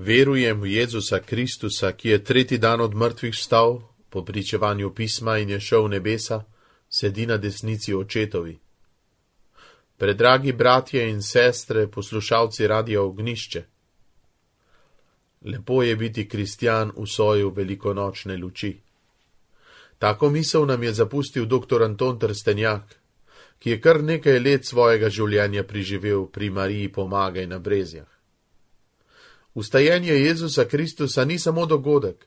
Verujem v Jezusa Kristusa, ki je tretji dan od mrtvih vstal, po pričevanju pisma in je šel v nebesa, sedi na desnici očetovi. Predragi bratje in sestre, poslušalci Radia Ognjišče. Lepo je biti kristjan v soju velikonočne luči. Tako misel nam je zapustil dr. Anton Trstenjak, ki je kar nekaj let svojega življenja preživel pri Mariji Pomagaj na Brezjah. Vstajenje Jezusa Kristusa ni samo dogodek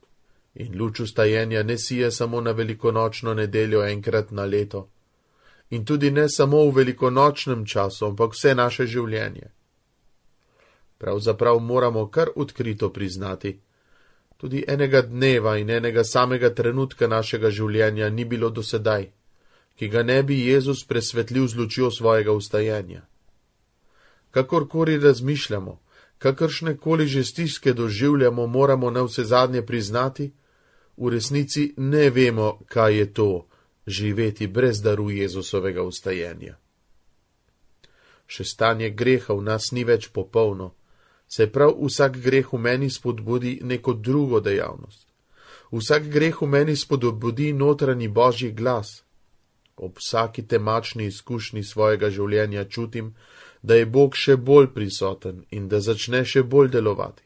in luč vstajenja ne sije samo na velikonočno nedeljo enkrat na leto in tudi ne samo v velikonočnem času, ampak vse naše življenje. Pravzaprav moramo kar odkrito priznati, tudi enega dneva in enega samega trenutka našega življenja ni bilo do sedaj, ki ga ne bi Jezus presvetlil z lučjo svojega vstajenja. Kakorkoli razmišljamo, kakršnekoli že stiske doživljamo, moramo navsezadnje priznati, v resnici ne vemo, kaj je to živeti brez daru Jezusovega vstajenja. Še stanje greha v nas ni več popolno, saj prav vsak greh v meni spodbudi neko drugo dejavnost. Vsak greh v meni spodbudi notranji Božji glas. Ob vsaki temačni izkušnji svojega življenja čutim, da je Bog še bolj prisoten in da začne še bolj delovati.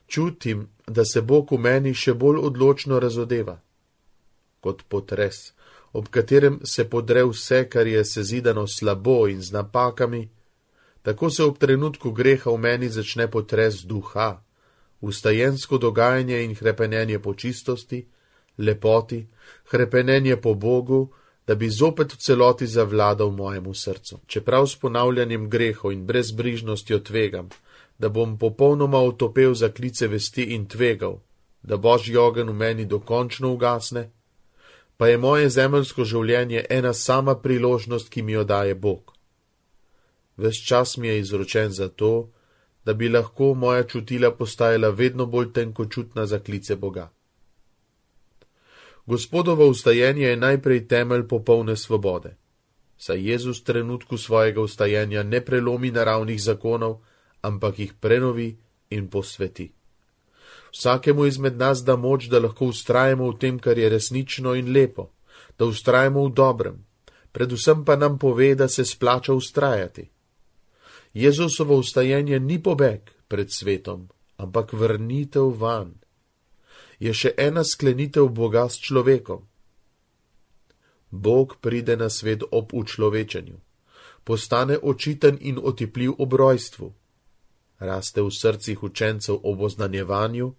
Čutim, da se Bog v meni še bolj odločno razodeva. Kot potres, ob katerem se podre vse, kar je sezidano slabo in z napakami, tako se ob trenutku greha v meni začne potres duha, vstajensko dogajanje in hrepenenje po čistosti, lepoti, hrepenenje po Bogu, da bi zopet v celoti zavladal mojemu srcu. Čeprav s ponavljanjem grehov in brezbrižnostjo tvegam, da bom popolnoma otopel za klice vesti in tvegal, da Božji ogenj v meni dokončno ugasne, pa je moje zemeljsko življenje ena sama priložnost, ki mi jo daje Bog. Ves čas mi je izročen zato, da bi lahko moja čutila postajala vedno bolj tenkočutna za klice Boga. Gospodovo vstajenje je najprej temelj popolne svobode, saj Jezus v trenutku svojega vstajenja ne prelomi naravnih zakonov, ampak jih prenovi in posveti. Vsakemu izmed nas da moč, da lahko vztrajamo v tem, kar je resnično in lepo, da vztrajamo v dobrem, predvsem pa nam pove, da se splača vztrajati. Jezusovo vstajenje ni pobeg pred svetom, ampak vrnitev vanj. Je še ena sklenitev Boga s človekom. Bog pride na svet ob učlovečenju, postane očiten in otipljiv ob rojstvu, raste v srcih učencev ob oznanjevanju,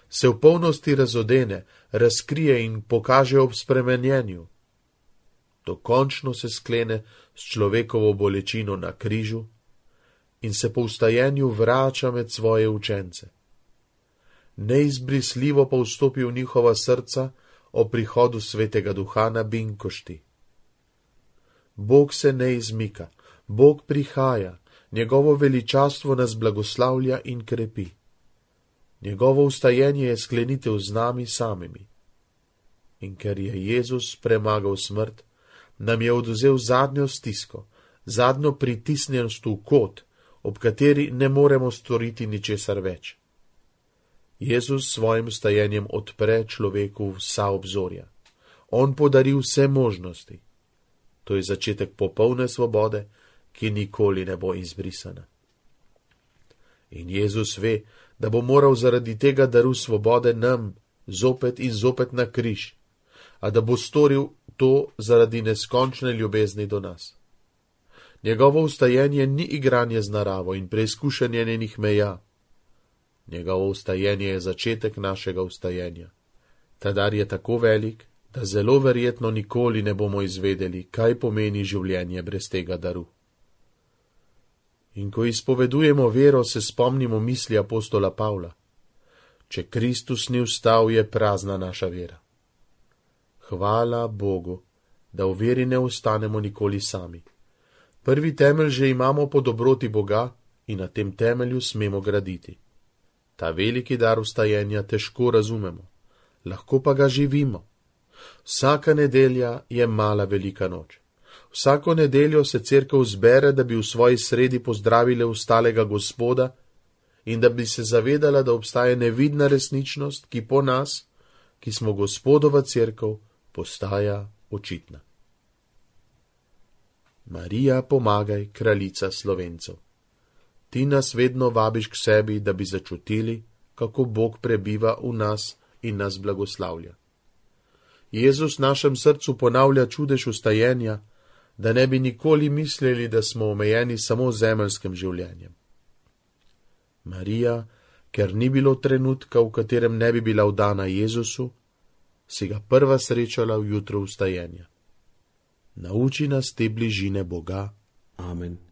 se v polnosti razodene, razkrije in pokaže ob spremenjenju. Dokončno se sklene s človekovo bolečino na križu in se po vstajenju vrača med svoje učence. Neizbrisljivo pa vstopi v njihova srca o prihodu svetega duha na binkošti. Bog se ne izmika, Bog prihaja, njegovo veličastvo nas blagoslavlja in krepi. Njegovo vstajenje je sklenitev z nami samimi. In ker je Jezus premagal smrt, nam je odvzel zadnjo stisko, zadnjo pritisnjenost v kot, ob kateri ne moremo storiti ničesar več. Jezus s svojim vstajenjem odpre človeku vsa obzorja. On podari vse možnosti. To je začetek popolne svobode, ki nikoli ne bo izbrisana. In Jezus ve, da bo moral zaradi tega daru svobode nam zopet in zopet na križ, a da bo storil to zaradi neskončne ljubezni do nas. Njegovo vstajenje ni igranje z naravo in preizkušanje njenih meja. Njegovo vstajenje je začetek našega vstajenja. Ta dar je tako velik, da zelo verjetno nikoli ne bomo izvedeli, kaj pomeni življenje brez tega daru. In ko izpovedujemo vero, se spomnimo misli apostola Pavla. Če Kristus ni vstal, je prazna naša vera. Hvala Bogu, da v veri ne ostanemo nikoli sami. Prvi temelj že imamo po dobroti Boga in na tem temelju smemo graditi. Ta veliki dar vstajenja težko razumemo, lahko pa ga živimo. Vsaka nedelja je mala velika noč. Vsako nedeljo se cerkev zbere, da bi v svoji sredi pozdravile vstalega Gospoda in da bi se zavedala, da obstaja nevidna resničnost, ki po nas, ki smo Gospodova cerkev, postaja očitna. Marija, pomagaj, kraljica Slovencev. Ti nas vedno vabiš k sebi, da bi začutili, kako Bog prebiva v nas in nas blagoslavlja. Jezus našem srcu ponavlja čudež vstajenja, da ne bi nikoli mislili, da smo omejeni samo zemeljskim življenjem. Marija, ker ni bilo trenutka, v katerem ne bi bila vdana Jezusu, si ga prva srečala v jutro vstajenja. Nauči nas te bližine Boga. Amen.